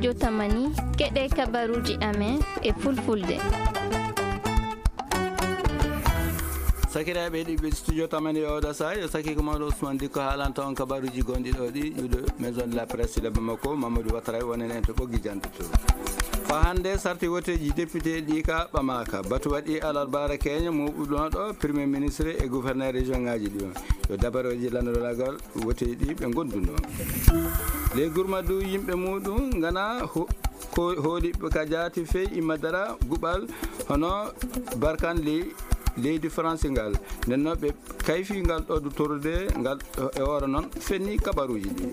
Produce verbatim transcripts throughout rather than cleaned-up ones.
Jotamani, keɗe kabaruji amen e fulfulde. Sakiraaɓe heɗiiɓe Studio Tamani e oɗo saha, yo sakiiko mawɗo Ousmane Dikko haalanta on kabaruji gonɗi ɗo ɗi, iwde Maison de la Presse de Bamako, Mamadou Ouattara wonen en to ɓoggi jandude. Ko hannde sarti woteeji député ɗi ka ɓamaaka. Batu waɗi alarbaara keña mooɓuɗo ɗo Premier Ministre e gouverneur région ngaji ɗi. Yo dabareeji lanndolaagal woteeji ɗi ɓe ngonduno. Ley Gurmadu yimɓe muɗum ngana ho-, ko hooliɓe ka jaati fey imma dara guɓal hono Barkan ley leydi Faransi ngal. Nden no ɓe kayfi ngal ɗo du torde ngal e hoore noon fenni kabaruji ɗi.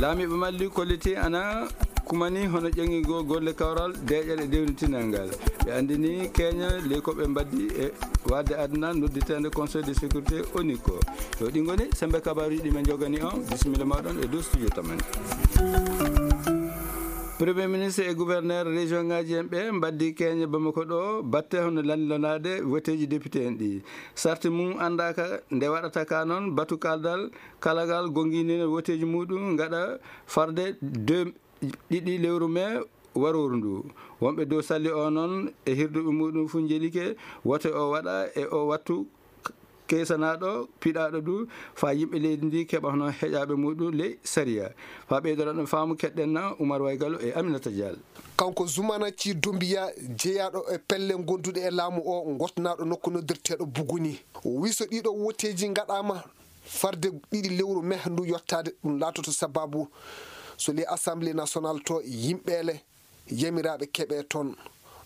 Laamiiɓe Mali kolliti ana kumani hono ƴeŋigo golle kawral deeƴere dewnitinal ngal. Ɓe anndini keña ley ko ɓe mbaddi e waɗde aduna nodditeende Conseil de sécurité O N U ko. Yo ɗi ngoni sembe kabaruji ɗi min jogani on. Bisimilla mawɗon e dow Studio Tamani. Premier ministre e gouverneur région ngaji en ɓe mbaddi keñe Bamako ɗo batte hono lanndilanaade woteeji député en ɗi. Sarti mum anndaaka nde waɗata ka noon batu kaldal kalagal gonginina woteeji muɗum ngaɗa farde deux ɗiɗi lewru mai warooru ndu. Wonɓe dow salli o noon e hirduɓe muɗum fof njelike wote o waɗa e o wattu k-, keesanaɗo, piɗaɗo du, faa yimɓe leydi ndi keɓa hono heƴaɓe muɗum ley sariya. Faa ɓeydoɗon faamu keɗɗen na Oumar Waygalo e Aminata Diallo. Kanko Zoumana Sy Doumbouya, jeyaaɗo e pelle gonduɗe e laamu o, gosnaaɗo nokku noddirteeɗo Buguni, o wi so ɗiɗo woteeji ngaɗaama, farde ɗiɗi lewru mai ndu yottaade, ɗum laatoto sababu so ley Assemblée nationale to yimɓeele yamiraaɓe keɓe toon.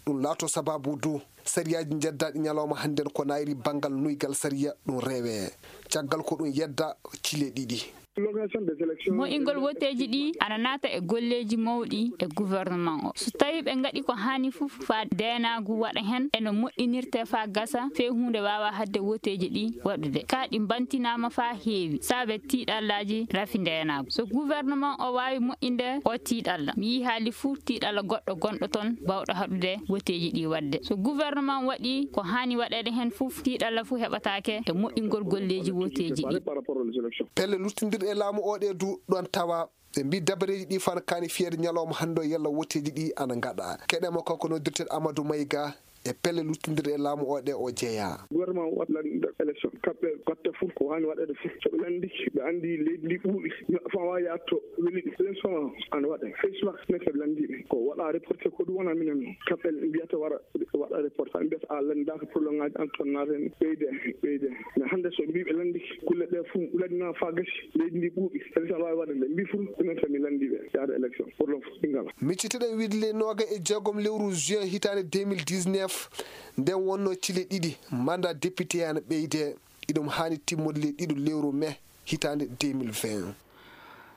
Ɗum laato sababu du sariyaaji njeddaaɗi ñalawma hannden ko nayri banngal nuygal sariya ɗum rewe. Caggal ko ɗum yedda cile ɗiɗi. Mo'ingol woteeji ɗi ana naata e golleeji mawɗi e gouvernement o. So tawi ɓe ngaɗi ko haani fof faa deenaagu waɗa heen e no moƴƴinirte faa gasa, fee huunde waawa haɗde woteeji ɗi waɗude. Ka ɗi mbantinaama faa heewi, saabe tiiɗallaaji rafi ndeenaagu. So gouvernement o waawi moƴƴinde o tiiɗalla, mi yii haali fuu tiiɗalla goɗɗo gonɗo toon baawɗo haɗude woteeji ɗi waɗde. So gouvernement waɗi ko haani waɗeede heen fof, tiiɗalla fof heɓataake e moƴƴingol golleeji woteeji ɗi. Pelle luttindirɗe e laamu o ɗe du ɗoon tawa. Ɓe mbii dabareeji ɗi fana kaani fiyeede ñalawma hannde o yalla woteeji ɗi ana ngaɗa. Keɗema kanko noddirteeɗo Amadou Maïga e pelle luttindirɗe e laamu o ɗe o jeyaa. Gouvernement waɗa lanndinɗo élection. Kamɓe batte fof ko haani waɗeede fof. So ɓe lanndike, ɓe anndi leydi ndi ɓuuɓi. Neɗɗo fof waawa yaade to weli ɗum. Élection o ana waɗe. Face mask ne ko ɓe lanndii ɓe. Ko waɗa reporté ko ɗum wona minen. Kamɓe mbiyata wara waɗa reporté. Mbiyata a lanndaaka pour le moment, an toon naata heen ɓeyde, ɓeyde. Mais hannde so mbii ɓe lanndike, kulle ɗe fof lanndinaama faa gasi. Leydi ndi ɓuuɓi. Élection waawi waɗde. Mbii fof, minen tan mi lanndii ɓe yaade élection. Pour le moment, ɗi ngala. Miccitoɗen wiide le nooga e jeegom lewru juin hitaande deux mille dix-neuf, nden wonno cile ɗiɗi mandat député ana ɓeyde. Iɗum haani timmude le ɗiɗo lewru mai hitaande deux mille vingt.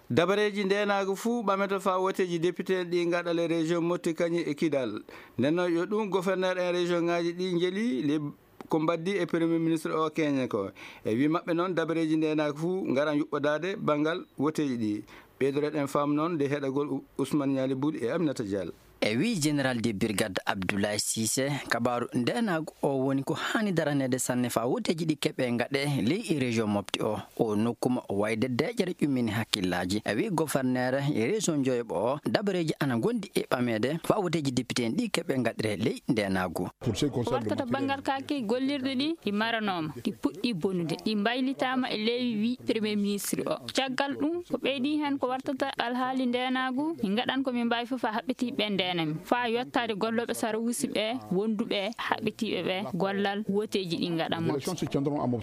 Dabareeji ndeenaagu fuu ɓamete faa woteeji député en ɗi ngaɗa le région Mopti kañum e Kidal. Nden noon yo ɗum gouverneur en région ngaji ɗi njeli le ko mbaddi e premier ministre o keñe ko. E wi maɓɓe noon dabareeji ndeenaagu fuu ngaran yuɓɓodaade banngal woteeji ɗi. Ɓeydoreɗen faamu noon nde heɗagol U-, Ousmane Ñaali Buli e Aminata Diallo. E wi général de brigade Abdoulaye Cissé, kabaaru ndeenaagu o woni ko haani daraneede sanne faa woteeji ɗi keɓe ngaɗe ley région Mopti o. O nokkuma wayde deeƴere ƴummini hakkillaaji. E wi gouverneur e région Njoyoɓo o, dabareeji ana ngondi e ɓameede faa woteeji député en ɗi keɓe ngaɗire ley ndeenaagu. Ko wartata banngal kaake gollirɗe ɗi, ɗi maranooma, ɗi puɗɗi bonude, ɗi mbaylitaama e ley wi premier ministre o. Caggal ɗum, ko ɓeydi heen ko wartata alhaali ndeenaagu, min ngaɗan ko min mbaawi fof haa haɓɓitiiɓe ɓe ndeena min, faa yottaade gollooɓe sarawusi ɓe, wonduɓe haɓɓitiiɓe ɓe gollal woteeji ɗi ngaɗan mo.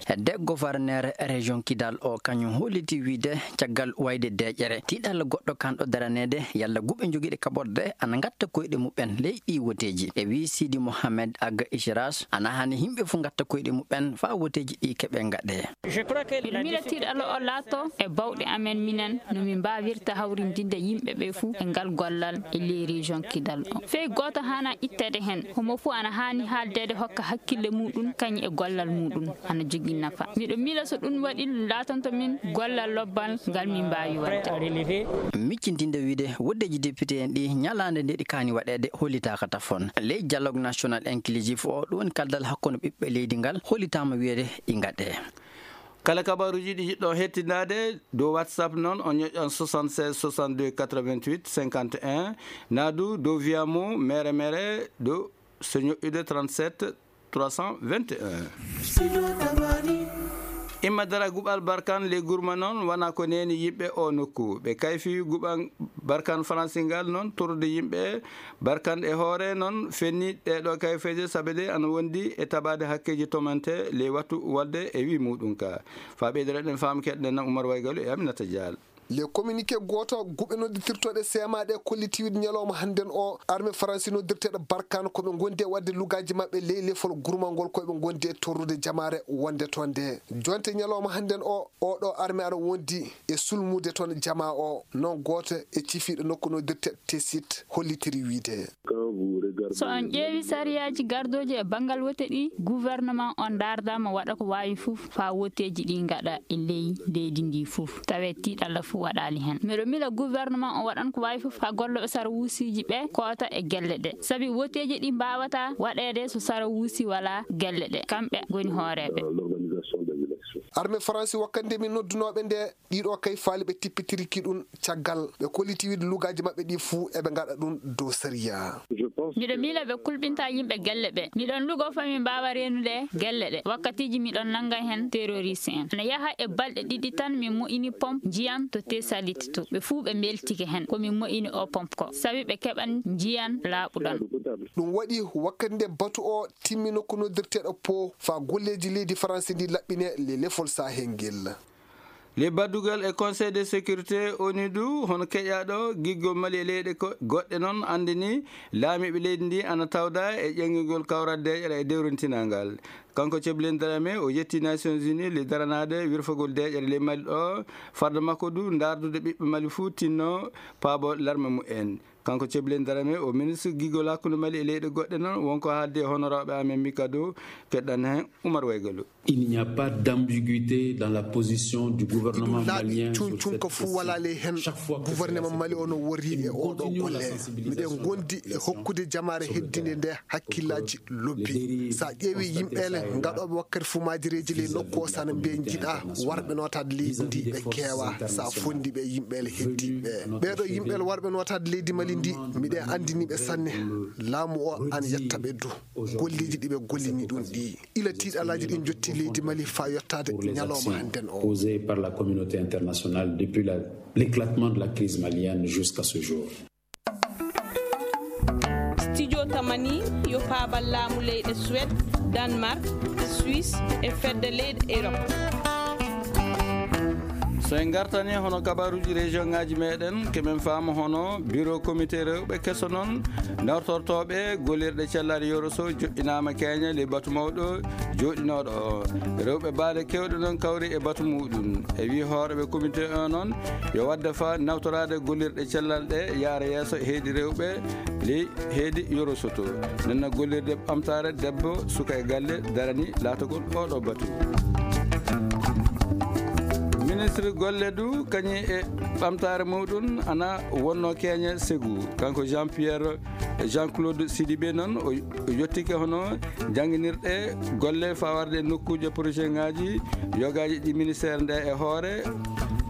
Hedde gouverneur région Kidal o, kañum holliti wiide caggal wayde deeƴere, tiiɗalla goɗɗo kanɗo daraneede, yalla guɓe jogiiɗe kaɓorɗe ana ngatta koyɗe muɓɓen ley ɗi woteeji. E wi Sidi Mohamed Aga Ichras, ana haani yimɓe fof ngatta koyɗe muɓɓen faa woteeji ɗi keɓe ngaɗe. Miɗo miila tiiɗalla o laato e bawɗe amen minen no min mbaawirta hawrindinde yimɓe ɓe fof e ngal gollal e ley région Kidal o. Fey gooto haana itteede heen, homo fof ana haani haaldeede hokka hakkille muɗum kañum e gollal muɗum ana jogii nafa. Miɗo miila so ɗum waɗi laatanto min gollal lobbal ngal min mbaawi waɗde. Miccintinde wiide woteeji député en ɗi ñalaande nde ɗi kaani waɗeede hollitaaka tafon. Ley dialogue national inclusif o, ɗum woni kaldal hakkunde ɓiɓɓe leydi ngal hollitaama wiyeede ɗi ngaɗe. Kala kabaaruuji ɗi njiɗɗon hettinaade dow WhatsApp noon, on ñoƴƴan soixante-seize soixante-deux quatre-vingt-huit cinquante et un, naa du dow Via Mo mere mere dow so ñoƴƴude trente-sept trois cent vingt et un. Imma dara guɓal Barkan le Gurma noon, wona ko neeni yimɓe o nokku. Ɓe kayfi guɓan Barkan Faransi ngal noon, torrude yimɓe Barkan e hoore noon, fenni ɗeeɗo kayfeeje, sabe de ana wondi e tabaade hakkeeji tomante ley wattu wolde e wi muɗum ka. Fa ɓeydere ɗen faamu keɗɗen na Umar Waygalu e Aminata Dial. Le communiqué gooto guɓe noddirtirtoɗe seemaaɗe kollitiwid ñalawma hannden o, armée Faransi noddirteɗo Barkan ko ɓe ngondi e waɗde lugaaji maɓɓe ley lefol gurmangol ko ɓe ngondi e torrude jamaare wonde toon nde. Jonte ñalawma hannden o, oɗo armée ana wondi e sulmude toon jamaa o, noon gooto e cifiiɗo nokku noddirteɗo Tesit hollitiri wiide. So on ƴeewi sariyaaji gardooji e banngal wote ɗi, gouvernement on ndaardaama waɗa ko waawi fof faa woteeji ɗi ngaɗa e ley leydi ndi fof, tawee tiiɗalla fof waɗaali heen. Miɗo mila gouvernement o waɗan ko waawi fof faa gollooɓe sara wuusiiji ɓe koota e gelle ɗe. Sabi woteeji ɗi mbaawata waɗeede so sara wuusi walaa gelle ɗe. Kamɓe ngoni hooreeɓe. Armée Faransi wakkande min noddunooɓe nde, ɗiɗo kay faali ɓe tippitiri ki ɗum caggal ɓe kolliti wiide lugaaji maɓɓe ɗi fuu eɓe ngaɗa ɗum dow sariya. Miɗo miila ɓe kulɓinta yimɓe gelle ɓe. Miɗon lugo fami mbaawa reenude gelle ɗe. Wakkatiiji miɗon nannga heen terroriste en. Ana yaha e balɗe ɗiɗi tan min moƴƴini pompe njiyan to Tesalit to. Ɓe fuu ɓe mbeltike heen ko min moƴƴini o pompe ko. Sabi ɓe keɓan njiyan laaɓuɗan. Ɗum waɗi wakkati nde batu o timmi nokku noddirteeɗo Po faa golleeji leydi Faransi ndi laɓɓine le lefol Sahel ngel. Le baddugal e Conseil de sécurité ONU du, hono keƴaaɗo giggol Mali e leyɗe ko-, goɗɗe noon anndini laamiiɓe leydi ndi ana tawda e ƴeŋgingol kawral deeƴere e dewrintinal ngal. Kanko Ceblin Darame o yetti Nations Unies le daranaade wirfagol deeƴere ley Mali ɗo, farde makko du ndaardude ɓiɓɓe Mali fuu tinno paabo larme mumen. Kanko Ceblin Darame o ministre giggol hakkunde Mali e leyɗe goɗɗe noon, wonko haaldi e honoraaɓe amen Mikado, keɗɗan heen Umar Waygalu. Il n'y a pas d'ambiguïté dans la position du gouvernement malien sur cette question. Cuncunka fuu walaa ley heen. Chaque fois que cela se produit, gouvernement Mali o no worri e oɗo golle. Miɗen ngondi e hokkude jamaare heddinde nde hakkillaaji lobbi. Sa ƴeewi yimɓeele ngaɗooɓe wakkati fuu maajireeji ley nokku o, sana mbiye njiɗa warɓe nootaade leydi ndi ɓe keewa. Sa fondi ɓe yimɓeele heddiiɓe. Ɓeeɗo yimɓeele warɓe nootaade leydi Mali ndi, miɗen anndini ɓe sanne. Laamu o ana yetta ɓe du. Golleeji ɗi ɓe gollini ɗum ɗi. Ila tiiɗalaaji ɗin njotti leydi Mali faa yottaade ñalawma hannden o. Posée par la communauté internationale depuis la, l'éclatement de la crise malienne jusqu'à ce jour. Studio Tamani yo paabal laamu leyɗe Suède, Danemark, Suisse e fedde leyɗe Europe. So en ngartani hono kabaruuji région ŋaaji meɗen, keɓen faama hono bureau comité rewɓe keso noon, nawtortooɓe gollirɗe cellal Yoroso joɗɗinaama keeña ley batu mawɗo jooɗinooɗo o. Rewɓe baale keewɗe noon kawri e batu muɗum. E wii hooreeɓe comité o noon, yo waɗde faa nawtoraade gollirɗe cellal ɗe yaara yeeso heedi rewɓe ley heedi Yoroso to. Nenna gollirde ɓamtaare debbo suka e galle darani laatagol oɗo batu. Ministre golle du kañum e ɓamtaare muɗum ana wonno keeña segu. Kanko Jean Pierre, Jean Claude Sidibé noon o, o yettike hono jannginirɗe golle fawarde e nokkuuje projet ŋaaji yogaaji ɗi ministère nde e hoore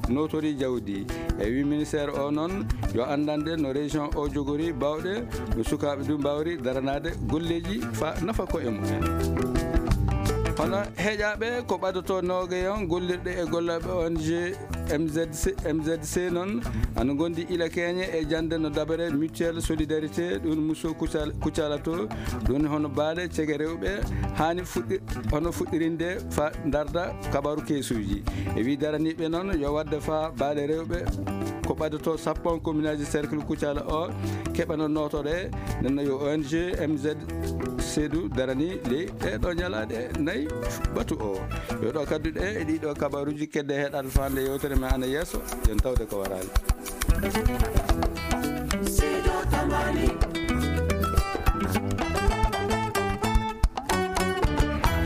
notori jawdi. E wi ministère o noon yo anndande no région o jogori bawɗe, no sukaaɓe du mbawri daranaade golleeji fa nafa ko e mumen. Hono heƴaaɓe ko ɓadoto noogayon gollirɗe e gollooɓe O N G M Z C, M Z C noon ana ngondi ila keeñe e jannde no dabere mutuelle solidarité ɗum Muso Kucal-, Kucala to. Ɗum hono baale cege rewɓe haani fuɗɗi-, hono fuɗɗirinde fa ndarda kabaru keesuuji. E wi daraniiɓe noon yo waɗde fa baale rewɓe ko ɓadoto sappo communauté cercle Kucala o keɓano nootore, nenno yo O N G M Z C du darani ley ɗeɗo ñalaaɗe nayi batu o. Yo ɗo kadduɗe e ɗiɗo kabaruuji kedde heɗaade faande yewtere men ana yeeso, yen tawde ko waraali. Sido Tamani.